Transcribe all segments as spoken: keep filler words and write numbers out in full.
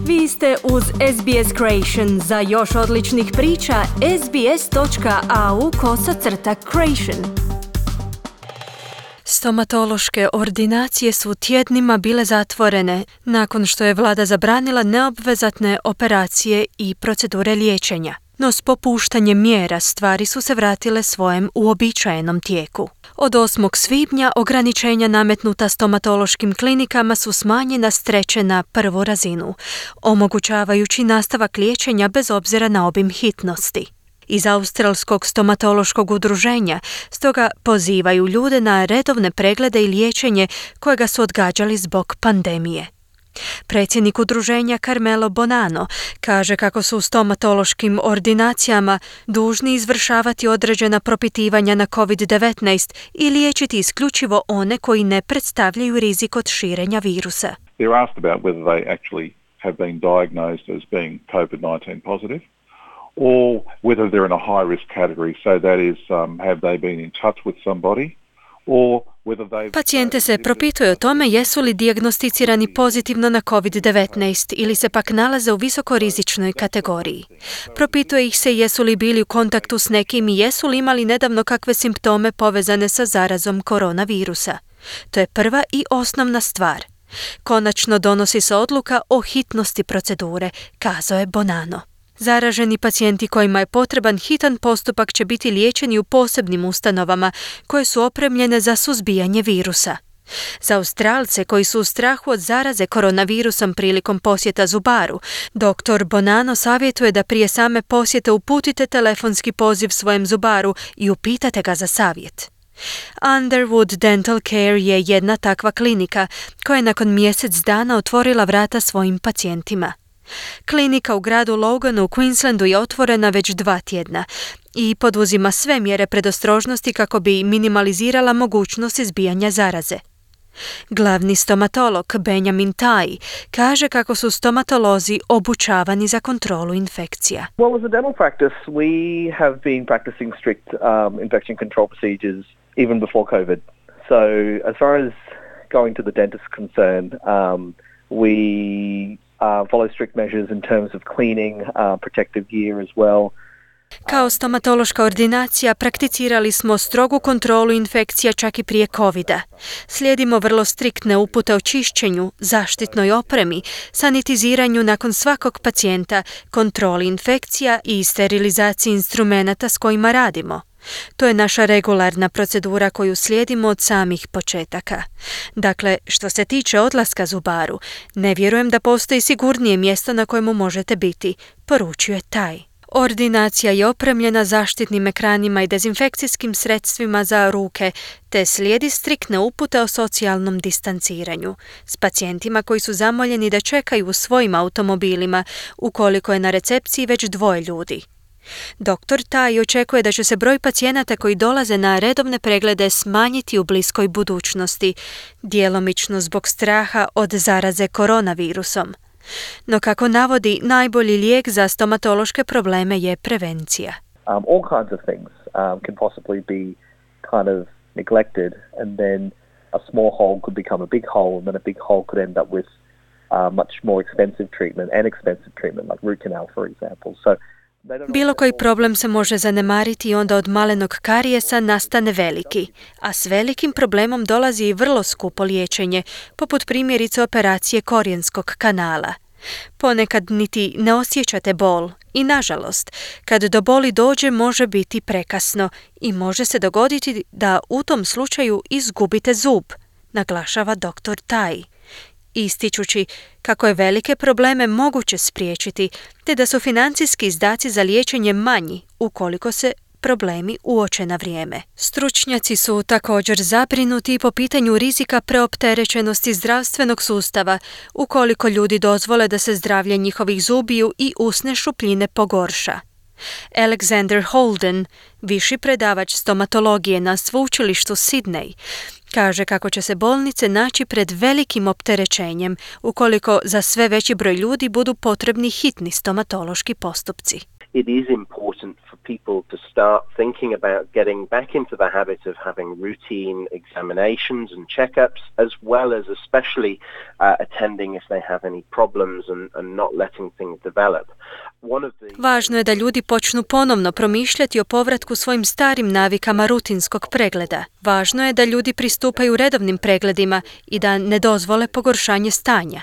Vi ste uz S B S Creation. Za još odličnih priča, sbs.au kosacrta creation. Stomatološke ordinacije su tjednima bile zatvorene nakon što je vlada zabranila neobvezatne operacije i procedure liječenja. No s popuštanjem mjera stvari su se vratile svojem uobičajenom tijeku. Od osmog svibnja ograničenja nametnuta stomatološkim klinikama su smanjena s treće na prvu razinu, omogućavajući nastavak liječenja bez obzira na obim hitnosti. Iz Australskog stomatološkog udruženja stoga pozivaju ljude na redovne preglede i liječenje kojega su odgađali zbog pandemije. Predsjednik udruženja Carmelo Bonanno kaže kako su u stomatološkim ordinacijama dužni izvršavati određena propitivanja na covid devetnaest i liječiti isključivo one koji ne predstavljaju rizik od širenja virusa. They're asked about whether they actually have been diagnosed as being covid nineteen positive or whether they're in a high risk category, so that is um, have they been in touch with somebody or Pacijente se propituje o tome jesu li dijagnosticirani pozitivno na covid devetnaest ili se pak nalaze u visokorizičnoj kategoriji. Propituje ih se jesu li bili u kontaktu s nekim i jesu li imali nedavno kakve simptome povezane sa zarazom koronavirusa. To je prva i osnovna stvar. Konačno donosi se odluka o hitnosti procedure, kazao je Bonanno. Zaraženi pacijenti kojima je potreban hitan postupak će biti liječeni u posebnim ustanovama koje su opremljene za suzbijanje virusa. Za Australce koji su u strahu od zaraze koronavirusom prilikom posjeta zubaru, doktor Bonanno savjetuje da prije same posjete uputite telefonski poziv svojem zubaru i upitate ga za savjet. Underwood Dental Care je jedna takva klinika koja je nakon mjesec dana otvorila vrata svojim pacijentima. Klinika u gradu Loganu u Queenslandu je otvorena već dva tjedna i poduzima sve mjere predostrožnosti kako bi minimalizirala mogućnost izbijanja zaraze. Glavni stomatolog Benjamin Tai kaže kako su stomatolozi obučavani za kontrolu infekcija. Well, as a dental practice, we have been practicing strict um, infection control procedures even before COVID. So, as far as going to the dentist is concerned, um, we Uh, follow strict measures in terms of cleaning, uh, protective gear as well. Kao stomatološka ordinacija prakticirali smo strogu kontrolu infekcija čak i prije covida. Slijedimo vrlo striktne upute o čišćenju, zaštitnoj opremi, sanitiziranju nakon svakog pacijenta, kontroli infekcija i sterilizaciji instrumenata s kojima radimo. To je naša regularna procedura koju slijedimo od samih početaka. Dakle, što se tiče odlaska zubaru, ne vjerujem da postoji sigurnije mjesto na kojemu možete biti, poručuje taj. Ordinacija je opremljena zaštitnim ekranima i dezinfekcijskim sredstvima za ruke, te slijedi striktne upute o socijalnom distanciranju s pacijentima koji su zamoljeni da čekaju u svojim automobilima ukoliko je na recepciji već dvoje ljudi. Doktor Tai očekuje da će se broj pacijenata koji dolaze na redovne preglede smanjiti u bliskoj budućnosti, djelomično zbog straha od zaraze koronavirusom. No kako navodi, najbolji lijek za stomatološke probleme je prevencija. Um, all kinds of things um, can possibly be kind of neglected and then a small hole could become a big hole and then a big hole could end up with uh, much more expensive treatment and expensive treatment like root canal for example. So bilo koji problem se može zanemariti i onda od malenog karijesa nastane veliki, a s velikim problemom dolazi i vrlo skupo liječenje, poput primjerice operacije korijenskog kanala. Ponekad niti ne osjećate bol i, nažalost, kad do boli dođe može biti prekasno i može se dogoditi da u tom slučaju izgubite zub, naglašava doktor Tai, ističući kako je velike probleme moguće spriječiti, te da su financijski izdaci za liječenje manji ukoliko se problemi uoče na vrijeme. Stručnjaci su također zabrinuti po pitanju rizika preopterećenosti zdravstvenog sustava ukoliko ljudi dozvole da se zdravlje njihovih zubiju i usne šupljine pogorša. Alexander Holden, viši predavač stomatologije na sveučilištu Sydney, kaže kako će se bolnice naći pred velikim opterećenjem ukoliko za sve veći broj ljudi budu potrebni hitni stomatološki postupci. it is important for people to start thinking about getting back into the habit of having routine examinations and checkups, as well as especially uh, attending if they have any problems and, and not letting things develop. One of the... Važno je da ljudi počnu ponovno promišljati o povratku svojim starim navikama rutinskog pregleda. Važno je da ljudi pristupaju redovnim pregledima i da ne dozvole pogoršanje stanja.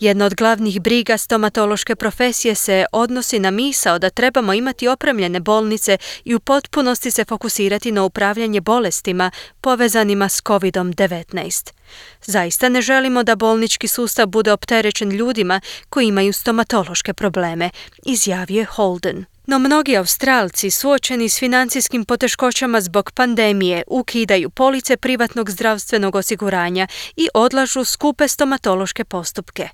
Jedna od glavnih briga stomatološke profesije se odnosi na misao da trebamo imati opremljene bolnice i u potpunosti se fokusirati na upravljanje bolestima povezanima s kovid devetnaest. Zaista ne želimo da bolnički sustav bude opterećen ljudima koji imaju stomatološke probleme, izjavio je Holden. No mnogi Australci suočeni s financijskim poteškoćama zbog pandemije ukidaju police privatnog zdravstvenog osiguranja i odlažu skupe stomatološke postupke.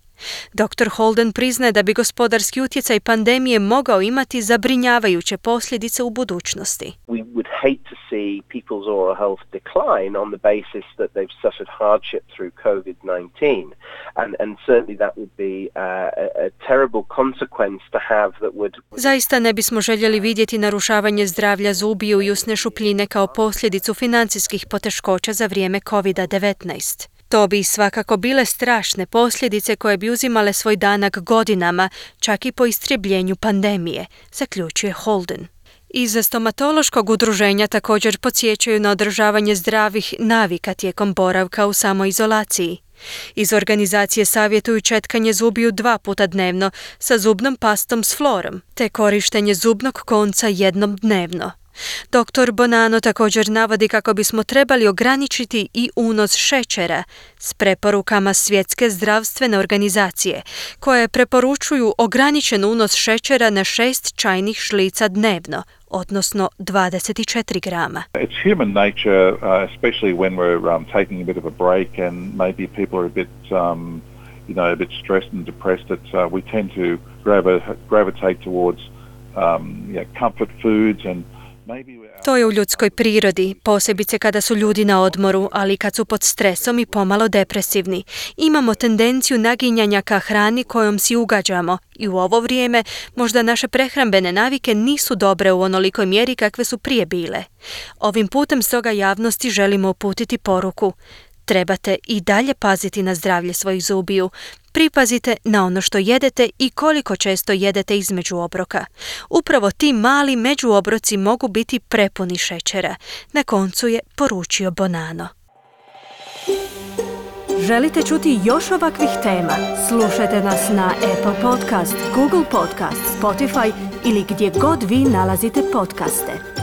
doktor Holden priznaje da bi gospodarski utjecaj pandemije mogao imati zabrinjavajuće posljedice u budućnosti. We would hate to see people's oral health decline on the basis that they've suffered hardship through covid nineteen, and and certainly that would be a, a terrible consequence to have that would... Zaista ne bismo željeli vidjeti narušavanje zdravlja zubiju i usne šupljine kao posljedicu financijskih poteškoća za vrijeme kovid devetnaest. To bi svakako bile strašne posljedice koje bi uzimale svoj danak godinama, čak i po istrebljenju pandemije, zaključuje Holden. Iz stomatološkog udruženja također podsjećaju na održavanje zdravih navika tijekom boravka u samoizolaciji. Iz organizacije savjetuju četkanje zubiju dva puta dnevno sa zubnom pastom s florom, te korištenje zubnog konca jednom dnevno. doktor Bonanno također navodi kako bismo trebali ograničiti i unos šećera s preporukama Svjetske zdravstvene organizacije, koje preporučuju ograničen unos šećera na šest čajnih žlica dnevno, odnosno dvadeset četiri grama. It's human nature, uh, especially when we're um, taking a bit of a break and maybe people are a bit, um, you know, a bit stressed and depressed, that uh, we tend to gravi- gravitate towards um, you know, comfort foods and To je u ljudskoj prirodi, posebice kada su ljudi na odmoru, ali kad su pod stresom i pomalo depresivni. Imamo tendenciju naginjanja ka hrani kojom si ugađamo i u ovo vrijeme možda naše prehrambene navike nisu dobre u onolikoj mjeri kakve su prije bile. Ovim putem stoga javnosti želimo uputiti poruku. Trebate i dalje paziti na zdravlje svojih zubiju. Pripazite na ono što jedete i koliko često jedete između obroka. Upravo ti mali međuobroci mogu biti prepuni šećera. Na koncu je poručio Bonanno. Želite čuti još ovakvih tema? Slušajte nas na Apple Podcast, Google Podcast, Spotify ili gdje god vi nalazite podcaste.